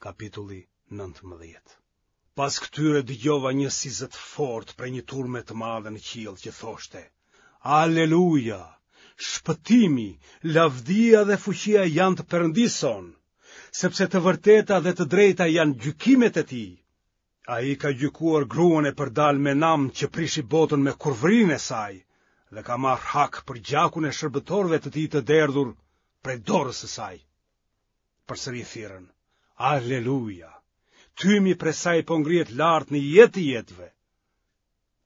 Kapitulli 19. Pas këtyre dëgjova një si zë të fortë prej një turme të madhe në qiell që thoshte: Aleluja! Shpëtimi, lavdia dhe fuqia janë të Perëndisë sonë, sepse të vërteta dhe të drejta janë gjykimet e tij. Ai ka gjykuar gruan e përdalë me nam që prishi botën me kurvërinë e saj dhe ka marrë hak për gjakun e shërbëtorëve të tij të derdhur prej dorës së saj. Përsëri thirrën, Aleluja! Tymi prej saj po ngrihet lart në jetë të jetëve.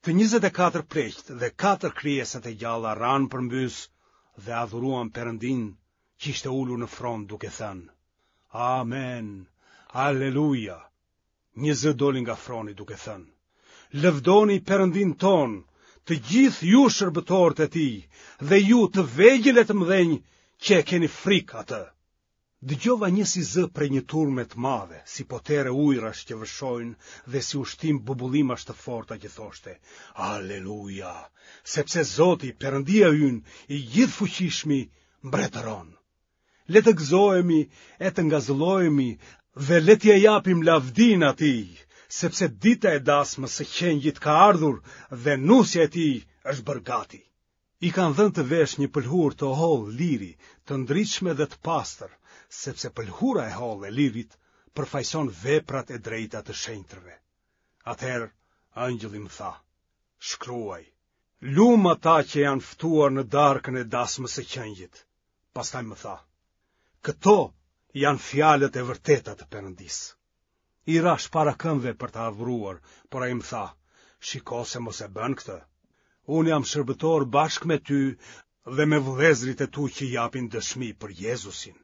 Të 24 pleqtë dhe katër krijesat e gjalla ranë përmbys dhe adhuruan Perëndinë që ishte ulur në fron duke thënë, Amen, Aleluja! Një zë doli nga froni duke thënë, Lëvdoni Perëndinë tonë, të gjithë ju shërbëtorët e tij, dhe ju të vegjël e të mëdhenj që e keni frikë atë. Dëgjova një si zë prej një turme të madhe, si potere ujërash që vërshojnë dhe si ushtim bubullimash të forta që thoshte, Aleluja, sepse Zoti, Perëndia ynë, i gjithëfuqishmi, mbretëron. Le të gëzohemi e të ngazëllohemi dhe le t'ia japim lavdinë atij, sepse dita e dasmës së qengjit ka ardhur dhe nusja e tij është bërë gati. I kanë dhënë të veshë një pëlhurë të hollë liri, të ndritshme dhe të pastër, sepse pëlhura e hollë e lirit përfaqëson veprat e drejta të shenjtërve. Atëherë engjëlli më tha: Shkruaj, lum ata që janë ftuar në darkën e dasmës së qengjit. Pastaj më tha, këto janë fjalët e vërteta të Perëndisë. I rashë para këmbëve për ta adhuruar, por ai më tha, shiko se mos e bën këtë. Unë jam shërbëtor bashkë me ty dhe me vëllezërit e tu që japin dëshmi për Jezusin.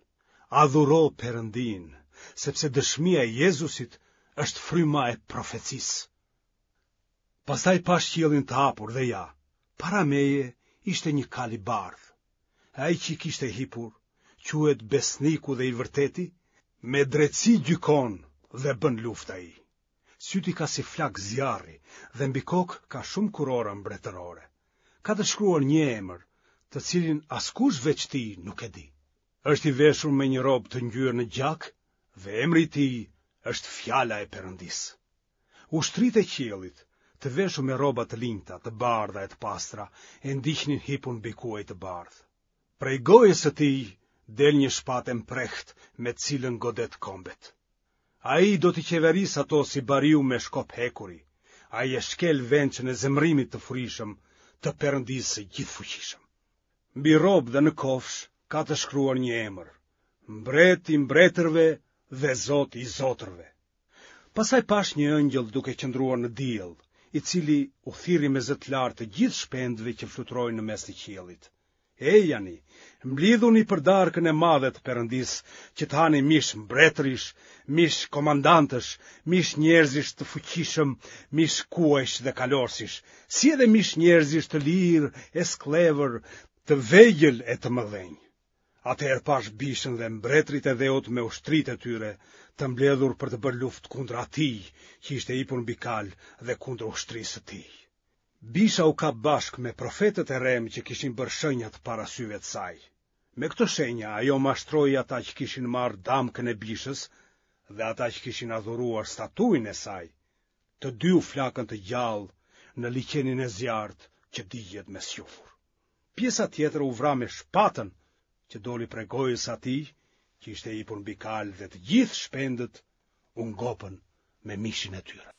Adhuro Perëndinë, sepse dëshmia e Jezusit është fryma e profecisë. Pastaj pashë qiellin të hapur dhe ja, para meje ishte një kalë i bardhë. Ai që i kishte hipur, quhet Besniku dhe i Vërteti, me drejtësi gjykon dhe bën luftë ai. Sytë i ka si flakë zjarri dhe mbi kokë ka shumë kurora mbretërore. Ka të shkruar një emër, të cilin askush veç tij nuk e di. Është i veshur me një rrobë të ngjyer në gjak dhe emri i tij është Fjala e Perëndisë. Ushtritë e qiellit, të veshur me rroba të linjta, të bardha e të pastra, e ndiqnin hipur mbi kuaj të bardhë. Prej gojës së tij del një shpatë e mprehtë me të cilën godet kombet. Ai do t'i qeverisë ato si bariu me shkop hekuri. Ai e shkel vençën e zemërimit të furishëm të Perëndisë së gjithëfuqishëm. Mbi rrobë dhe në kofshë ka të shkruar një emër, Mbret i mbretërve dhe Zot i zotërve. Pastaj pashë një ëngjëll duke qëndruar në diell, i cili u thirri me zë të lartë të gjithë shpendëve që fluturojnë në mes të qiellit. Ejani, mblidhuni për darkën e madhe të Perëndisë, që të hani mish mbretërish, mish komandantësh, mish njerëzish të fuqishëm, mish kuajsh dhe kalorësish, si edhe mish njerëzish të lirë e skllevër, të vegjël e të mëdhenj. Atëherë pashë bishën dhe mbretërit e dheut me ushtritë e tyre, të mbledhur për të bërë luftë kundër atij që ishte hipur mbi kalë dhe kundër ushtrisë së tij. Bisha u kap bashkë me profetët e rremë që kishin bërë shenjat para syve të saj. Me këto shenja ajo mashtroi ata që kishin marrë damkën e bishës dhe ata që kishin adhuruar statujën e saj. Të dy u flakën të gjallë në liqenin e zjarrtë që digjet me squfur. Pjesa tjetër u vra me shpatën që doli prej gojës së atij që ishte hipur mbi kalë dhe të gjithë shpendët u ngopën me mishin e tyre.